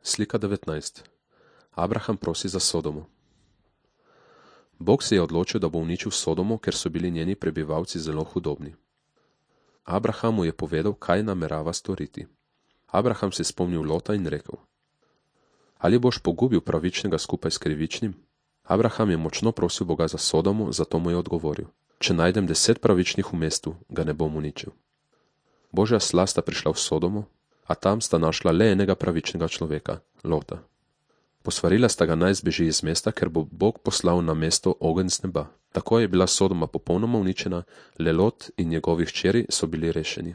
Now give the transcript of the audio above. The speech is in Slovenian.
Slika 19. Abraham prosi za Sodomo. Bog se je odločil, da bo uničil Sodomo, ker so bili njeni prebivalci zelo hudobni. Abraham mu je povedal, kaj namerava storiti. Abraham se je spomnil Lota in rekel: Ali boš pogubil pravičnega skupaj s krivičnim? Abraham je močno prosil Boga za Sodomo, zato mu je odgovoril: Če najdem 10 pravičnih v mestu, ga ne bom uničil. Božja sla sta prišla v Sodomo, a tam sta našla le enega pravičnega človeka, Lota. Posvarila sta ga naj zbeži iz mesta, ker bo Bog poslal na mesto ogenj z neba. Tako je bila Sodoma popolnoma uničena, le Lot in njegovi hčeri so bili rešeni.